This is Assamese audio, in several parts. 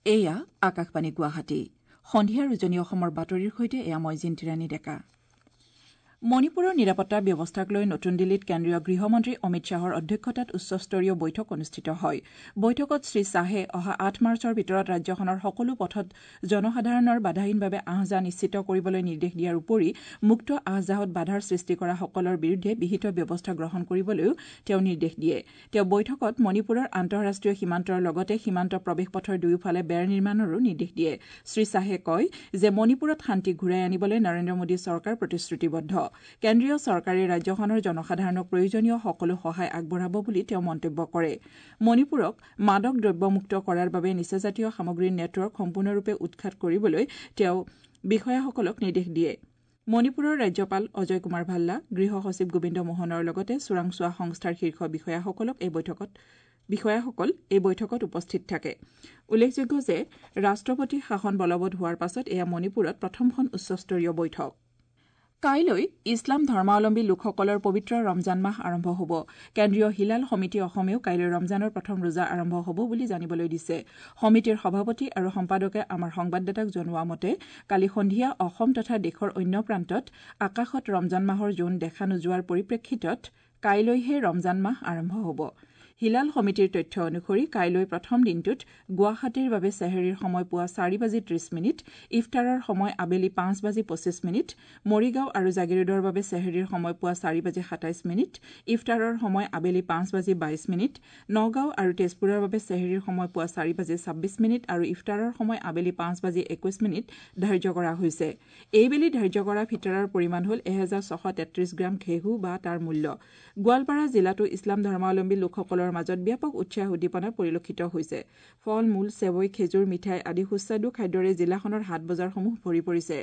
এয়া আকাশবাণী গুৱাহাটী। সন্ধিয়াৰ উজনি অসমৰ বাতৰিৰ সৈতে এয়া মই জিন্তিৰাণী ডেকা। মণিপুৰৰ নিৰাপত্তা ব্যৱস্থাক লৈ নতুন দিল্লীত কেন্দ্ৰীয় গৃহমন্ত্ৰী অমিত শ্বাহৰ অধ্যক্ষতাত উচ্চস্তৰীয় বৈঠক অনুষ্ঠিত হয়। বৈঠকত শ্ৰীশ্বাহে অহা ৮ মাৰ্চৰ ভিতৰত ৰাজ্যখনৰ সকলো পথত জনসাধাৰণৰ বাধাহীনভাৱে আহ-যাহ নিশ্চিত কৰিবলৈ নিৰ্দেশ দিয়াৰ উপৰি মুক্ত আহ-যাহত বাধাৰ সৃষ্টি কৰা সকলৰ বিৰুদ্ধে বিহিত ব্যৱস্থা গ্ৰহণ কৰিবলৈও তেওঁ নিৰ্দেশ দিয়ে। তেওঁ বৈঠকত মণিপুৰৰ আন্তঃৰাষ্ট্ৰীয় সীমান্তৰ লগতে সীমান্ত প্ৰৱেশ পথৰ দুয়োফালে বেৰ নিৰ্মাণৰো নিৰ্দেশ দিয়ে। শ্ৰীশ্বাহে কয় যে মণিপুৰত শান্তি ঘূৰাই আনিবলৈ নৰেন্দ্ৰ মোদী চৰকাৰ প্ৰতিশ্ৰুতিবদ্ধ। কেন্দ্ৰীয় চৰকাৰে ৰাজ্যখনৰ জনসাধাৰণক প্ৰয়োজনীয় সকলো সহায় আগবঢ়াব বুলি তেওঁ মন্তব্য কৰে। মণিপুৰক মাদক দ্ৰব্যমুক্ত কৰাৰ বাবে নিচাজাতীয় সামগ্ৰীৰ নেটৱৰ্ক সম্পূৰ্ণৰূপে উৎখাত কৰিবলৈ তেওঁ বিষয়াসকলক নিৰ্দেশ দিয়ে। মণিপুৰৰ ৰাজ্যপাল অজয় কুমাৰ ভাল্লা, গৃহ সচিব গোবিন্দ মোহনৰ লগতে চোৰাংচোৱা সংস্থাৰ শীৰ্ষ বিষয়াসকল এই বৈঠকত উপস্থিত থাকে। উল্লেখযোগ্য যে ৰাষ্ট্ৰপতি শাসন বলবৎ হোৱাৰ পাছত এয়া মণিপুৰত প্ৰথমখন উচ্চস্তৰীয় বৈঠক। কাইলৈ ইছলাম ধৰ্মাৱলম্বী লোকসকলৰ পবিত্ৰ ৰমজান মাহ আৰম্ভ হ'ব। কেন্দ্ৰীয় হিলাল সমিতি অসমেও কাইলৈ ৰমজানৰ প্ৰথম ৰোজা আৰম্ভ হ'ব বুলি জানিবলৈ দিছে। সমিতিৰ সভাপতি আৰু সম্পাদকে আমাৰ সংবাদদাতাক জনোৱা মতে কালি সন্ধিয়া অসম তথা দেশৰ অন্য প্ৰান্তত আকাশত ৰমজান মাহৰ জোন দেখা নোযোৱাৰ পৰিপ্ৰেক্ষিতত কাইলৈহে ৰমজান মাহ আৰম্ভ হ'ব। হিলাল সমিতিৰ তথ্য অনুসৰি কাইলৈ প্ৰথম দিনটোত গুৱাহাটীৰ বাবে চেহেৰীৰ সময় পুৱা ৪:৩০, ইফতাৰৰ সময় আবেলি ৫:২৫, মৰিগাঁও আৰু জাগীৰোডৰ বাবে চেহেৰীৰ সময় পুৱা ৪:২৭, ইফতাৰৰ সময় আবেলি ৫:২২, নগাঁও আৰু তেজপুৰৰ বাবে চেহেৰীৰ সময় পুৱা ৪:২৬ আৰু ইফতাৰৰ সময় আবেলি ৫:২১ ধাৰ্য কৰা হৈছে। এইবেলি ধাৰ্য কৰা ফিতৰাৰ পৰিমাণ হ'ল ১৬৩৩ গ্ৰাম ঘেঁহু বা তাৰ মূল্য। গোৱালপাৰা জিলাতো ইছলাম ধৰ্মাৱলম্বী লোকসকলৰ মাজত ব্যাপক উৎসাহ উদ্দীপনা পৰিলক্ষিত হৈছে। ফল মূল, চেৱৈ, খেজুৰ, মিঠাই আদি সুস্বাদু খাদ্যৰে জিলাখনৰ হাট বজাৰসমূহ ভৰি পৰিছে।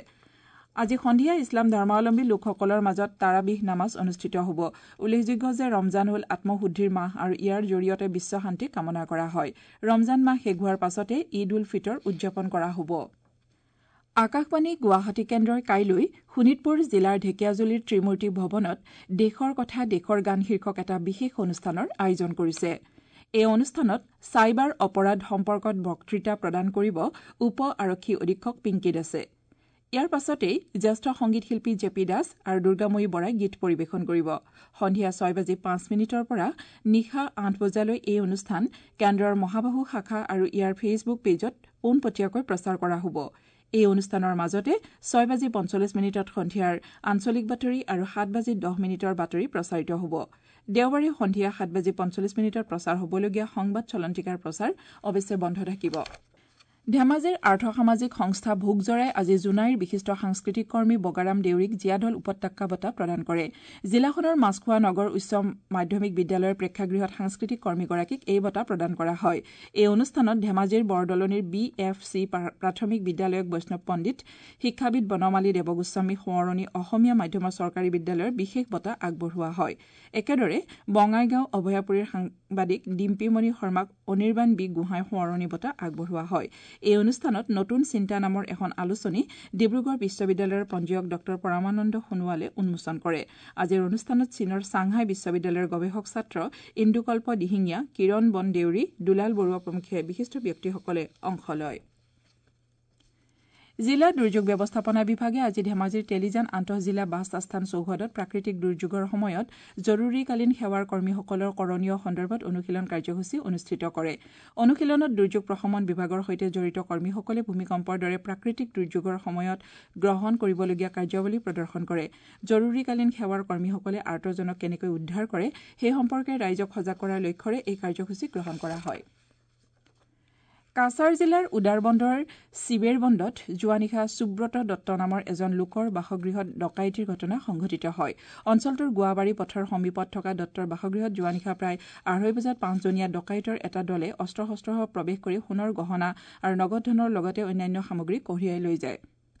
আজি সন্ধিয়া ইছলাম ধৰ্মাৱলম্বী লোকসকলৰ মাজত তাৰাবিহ নামাজ অনুষ্ঠিত হ'ব। উল্লেখযোগ্য যে ৰমজান হ'ল আত্মশুদ্ধিৰ মাহ আৰু ইয়াৰ জৰিয়তে বিশ্ব শান্তি কামনা কৰা হয়। ৰমজান মাহ শেষ হোৱাৰ পাছতে ঈদ উল ফিতৰ উদযাপন কৰা হ'ব। আকাশবাণী গুৱাহাটী কেন্দ্ৰই কাইলৈ শোণিতপুৰ জিলাৰ ঢেকীয়াজুলিৰ ত্ৰিমূৰ্তি ভৱনত দেশৰ কথা দেশৰ গান শীৰ্ষক এটা বিশেষ অনুষ্ঠানৰ আয়োজন কৰিছে। এই অনুষ্ঠানত চাইবাৰ অপৰাধ সম্পৰ্কত বক্তৃতা প্ৰদান কৰিব উপ আৰক্ষী অধীক্ষক পিংকী দাসে। ইয়াৰ পাছতেই জ্যেষ্ঠ সংগীত শিল্পী জে পি দাস আৰু দুৰ্গাময়ী বৰাই গীত পৰিৱেশন কৰিব। সন্ধিয়া ৬:০৫ পৰা নিশা ৮ বজালৈ এই অনুষ্ঠান কেন্দ্ৰৰ মহাবাহু শাখা আৰু ইয়াৰ ফেচবুক পেজত পোনপটীয়াকৈ প্ৰচাৰ কৰা হ'ব। এই অনুষ্ঠানৰ মাজতে ৬:৪৫ সন্ধিয়াৰ আঞ্চলিক বাতৰি আৰু ৭:১০ বাতৰি প্ৰচাৰিত হ'ব। দেওবাৰে সন্ধিয়া ৭:৪৫ প্ৰচাৰ হ'বলগীয়া সংবাদ চলন্তিকাৰ প্ৰচাৰ অৱশ্যে বন্ধ থাকিব। ধেমাজিৰ আৰ্থসামাজিক সংস্থা ভোগজৰাই আজি জোনাইৰ বিশিষ্ট সাংস্কৃতিক কৰ্মী বগাৰাম দেউৰীক জীয়াঢল উপত্যকা বঁটা প্ৰদান কৰে। জিলাখনৰ মাছখোৱা নগৰ উচ্চ মাধ্যমিক বিদ্যালয়ৰ প্ৰেক্ষাগৃহত সাংস্কৃতিক কৰ্মীগৰাকীক এই বঁটা প্ৰদান কৰা হয়। এই অনুষ্ঠানত ধেমাজিৰ বৰদলনিৰ বি এফ চি প্ৰাথমিক বিদ্যালয়ক বৈষ্ণৱ পণ্ডিত, শিক্ষাবিদ বনমালী দেৱগোস্বামী সোঁৱৰণী অসমীয়া মাধ্যমৰ চৰকাৰী বিদ্যালয়ৰ বিশেষ বঁটা আগবঢ়োৱা হয়। একেদৰে বঙাইগাঁও অভয়াপুৰীৰ সাংবাদিক ডিম্পীমণি শৰ্মাক অনিৰ্বাণ বি গোহাঁই সোঁৱৰণী বঁটা আগবঢ়োৱা হয়। এই অনুষ্ঠানত নতুন চিন্তা নামৰ এখন আলোচনী ডিব্ৰুগড় বিশ্ববিদ্যালয়ৰ পঞ্জীয়ক ডঃ পৰমানন্দ সোণোৱালে উন্মোচন কৰে। আজিৰ অনুষ্ঠানত চীনৰ ছাংহাই বিশ্ববিদ্যালয়ৰ গৱেষক ছাত্ৰ ইন্দুকল্প দিহিঙীয়া, কিৰণ বন দেউৰী, দুলাল বৰুৱা প্ৰমুখ্যে বিশিষ্ট ব্যক্তিসকলে অংশ লয়। জিলা দুৰ্যোগ ব্যৱস্থাপনা বিভাগে আজি ধেমাজিৰ তেলিজান আন্তঃজিলা বাছ আস্থান চৌহদত প্ৰাকৃতিক দুৰ্যোগৰ সময়ত জৰুৰীকালীন সেৱাৰ কৰ্মীসকলৰ কৰণীয় সন্দৰ্ভত অনুশীলন কাৰ্যসূচী অনুষ্ঠিত কৰে। অনুশীলনত দুৰ্যোগ প্ৰশমন বিভাগৰ সৈতে জড়িত কৰ্মীসকলে ভূমিকম্পৰ দৰে প্ৰাকৃতিক দুৰ্যোগৰ সময়ত গ্ৰহণ কৰিবলগীয়া কাৰ্যাৱলী প্ৰদৰ্শন কৰে। জৰুৰীকালীন সেৱাৰ কৰ্মীসকলে আৰ্তজনক কেনেকৈ উদ্ধাৰ কৰে সেই সম্পৰ্কে ৰাইজক সজাগ কৰাৰ লক্ষ্যৰে এই কাৰ্যসূচী গ্ৰহণ কৰা হয়। কাছাৰ জিলাৰ উদাৰবন্দৰ চিবেৰবন্দত যোৱা নিশা সুব্ৰত দত্ত নামৰ এজন লোকৰ বাসগৃহত ডকাইতিৰ ঘটনা সংঘটিত হয়। অঞ্চলটোৰ গোৱাবাৰী পথৰ সমীপত থকা দত্তৰ বাসগৃহত যোৱা নিশা প্ৰায় ২:৩০ বজাত পাঁচজনীয়া ডকাইতৰ এটা দলে অস্ত্ৰ-শস্ত্ৰসহ প্ৰৱেশ কৰি সোণৰ গহনা আৰু নগদ ধনৰ লগতে অন্যান্য সামগ্ৰী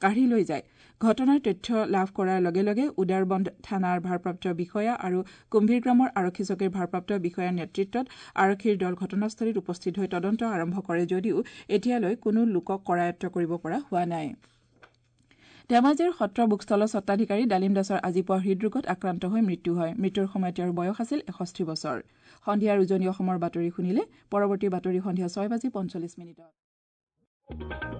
কাঢ়ি লৈ যায়। ঘটনাৰ তথ্য লাভ কৰাৰ লগে লগে উদাৰবন্দ থানাৰ ভাৰপ্ৰাপ্ত বিষয়া আৰু কুম্ভীৰগ্ৰামৰ আৰক্ষী চকীৰ ভাৰপ্ৰাপ্ত বিষয়াৰ নেতৃত্বত আৰক্ষীৰ দল ঘটনাস্থলীত উপস্থিত হৈ তদন্ত আৰম্ভ কৰে যদিও এতিয়ালৈ কোনো লোকক কৰায়ত্ব কৰিব পৰা হোৱা নাই। ধেমাজিৰ সত্ৰ বুকষ্টলৰ স্বত্বাধিকাৰী ডালিম দাসৰ আজি পুৱা হৃদৰোগত আক্ৰান্ত হৈ মৃত্যু হয়। মৃত্যুৰ সময়ত তেওঁৰ বয়স আছিল ৬১ বছৰ। সন্ধিয়াৰ উজনি অসমৰ বাতৰি শুনিলে। পৰৱৰ্তী বাতৰি সন্ধিয়া ৬:৪৫। ।